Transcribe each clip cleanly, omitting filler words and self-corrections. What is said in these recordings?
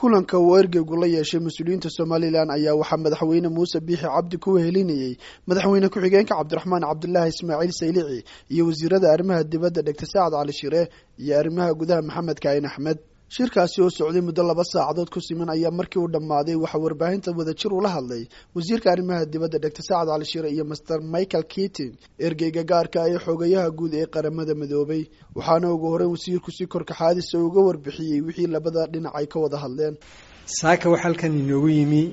Kulanka uu ergeygu la yeeshay mas-uuliyiinta Somalilan ayaa waxaa madaxweyne Muuse Biixi Cabdi ku wehelinayey madaxweyne ku-xigeenka Cabdiraxmaan Cabdilaahi Ismaaciil Saylici iyo wasiirada arrimaha dibadda Dhegta Saacad Cali Shire iyo arrimaha gudaha Maxamed Kaahin Axmed. Shirkaasi oo socday muddo 2 saacadood ku siman ayaa markii uu dhammaaday waxaa warbaahinta wadajir ula hadlay wasiirka arrimaha dibadda Dhegta Saacad Cali Shire iyo Master Michael Keating, ergeyga gaarka ee xogayaha guud ee Qaramada Midoobay. Waxaana ugu horreyn wasiirku si korkaxaadisa uga warbixiyey wixii labada dhinac ay ka wada hadleen. Saaka waxaa halkan inoogu yimi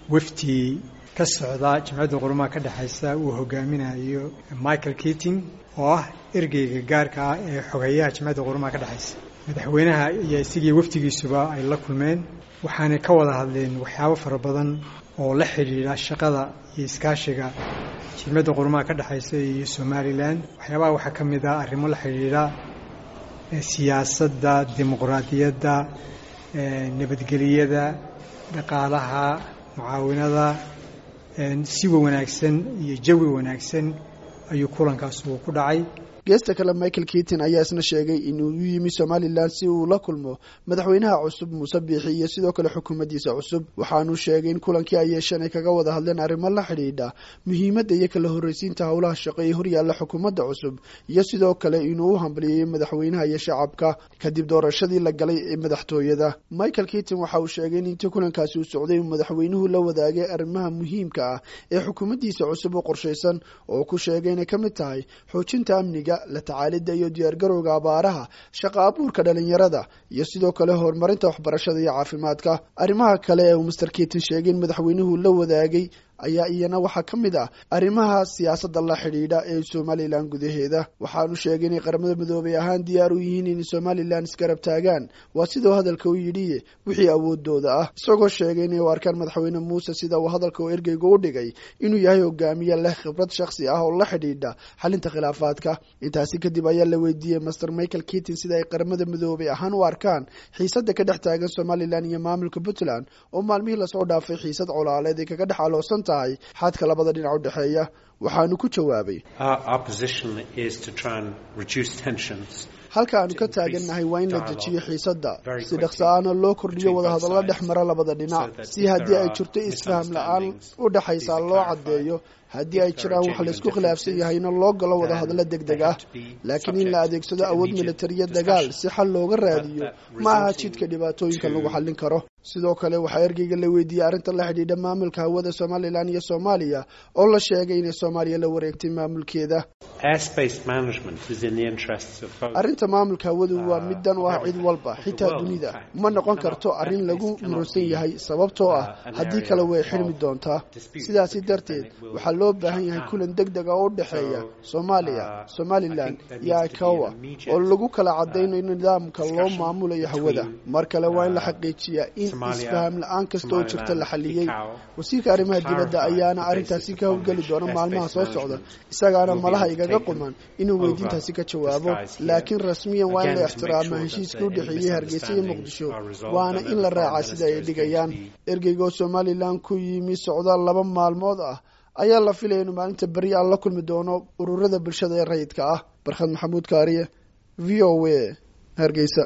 wafdi ka socda Jamciyadda Qurumaha ka dhexaysa uu hogaaminayo Michael Keating, oo ah ergeyga gaarka ah ee xogayaha Jamciyadda Qurumaha ka dhexaysa. Madaxweynaha iyo isigii wafdigiisuba ay la kulmeen, waxaanay ka wada hadleen waxyaabo fara badan oo la xidhiidha shaqada iyo iskaashiga Jimciyadda Qurumaha ka dhexaysa iyo Somalilan. Waxyaabaha waxaa ka mid ah arrimo la xidhiidha siyaasadda, dimuqraadiyadda, nabadgeliyada, dhaqaalaha, mucaawinada. Siwa wanaagsan iyo jawi wanaagsan ayuu kulankaas uu ku dhacay. Geesta kale, Michael Keating ayaa isna sheegay inuu u yimi Somalilan si uu la kulmo madaxweynaha cusub Muuse Biixi iyo sidoo kale xukuumaddiisa cusub. Waxaanuu sheegay in kulankii ay yeesheen ay kaga wada hadleen arrimo la xidhiidha muhiimadda iyo kala horreysiinta howlaha shaqo ee horyaalla xukuumadda cusub, iyo sidoo kale inuu u hambalyeeyo madaxweynaha iyo shacabka kadib doorashadii la galay ee madaxtooyada. Michael Keating waxa uu sheegay in intii kulankaasi uu socday uu madaxweynuhu la wadaagay arrimaha muhiimka ah ee xukuumaddiisa cusub u qorshaysan, oo ku sheegay inay ka mid tahay xoojinta amniga, la tacaalidda iyo diyaargarowga abaaraha, shaqa abuurka dhalinyarada iyo sidoo kale horumarinta waxbarashada iyo caafimaadka. Arrimaha kale ee uu Master Keating sheegay in madaxweynuhu la wadaagay ayaa iyana waxaa ka mid ah arrimaha siyaasadda la xidhiidha ee Somalilan gudaheeda. Waxaanu sheegay inay Qaramada Midoobay ahaan diyaar u yihiin inay Somalilan isgarab taagaan, waa siduu hadalka u yidhi, wixii awoodooda ah, isagoo sheegay inay u arkaan madaxweyne Muuse, sida uu hadalka u ergeyga u dhigay, inuu yahay hogaamiye leh khibrad shakhsi ah oo la xidhiidha xalinta khilaafaadka. Intaasi kadib ayaa la weydiiyey Master Michael Keating sida ay Qaramada Midoobay ahaan u arkaan xiisadda ka dhex taagan Somalilan iyo maamulka Puntland, oo maalmihii lasoo dhaafay xiisad colaaleed ay kaga dhex aloosan tahay xadka labada dhinac u dhexeeya. Waxaanu ku jawaabay: "Halka aanu ka taagannahay waa in la dejiyo xiisadda si dhaqso-aana loo kordhiyo wadahadallo dhex mara labada dhinac, si haddii ay jirto isfaham la-aan u dhexaysa loo caddeeyo, haddii ay jiraan wax laysku khilaafsan yahayna loo galo wadahadallo deg deg ah. Laakiin in la adeegsado awood militariya dagaal si xal looga raadiyo ma aha jidka dhibaatooyinka lagu xallin karo." Sidoo kale waxaa ergeyga la weydiiyey arrinta la xidhiidha maamulka hawada Somalilan iyo Soomaaliya, oo la sheegay inay Soomaaliya la wareegtay maamulkeeda. "Arrinta maamulka hawadu waa mid dan u ah cid walba, xitaa dunida. Ma noqon karto arrin lagu muransan yahay, sababtoo ah haddii kale way xidhmi doontaa. Sidaasi darteed waxaa loo baahan yahay kulan deg deg ah oo u dhexeeya Soomaaliya, Somalilan iyo ICAO oo lagu kala cadaynayo nidaamka loo maamulayo hawada. Mar kale waa in la xaqiijiyaa in isfaham la-aan kasta oo jirta la xaliyey. Wasiirka arrimaha dibadda ayaana arrintaasi ka howlgeli doona maalmaha soo socda, isagaana malaha igaga quman inuu weydiintaasi ka jawaabo. Laakiin rasmiyan waa in la ixtiraamaa heshiiska u dhexeeyey Hargeysa iyo Muqdisho, waana in la raacaa sida ay dhigayaan." Ergeyga oo Somalilan ku yimi socdaal 2 maalmood ah ayaa la filaya inuu maalinta beri aan la kulmi doono ururada bulshada ee rayidka ah. Barkhad Maxamuud Kaariye, VOA, Hargeysa.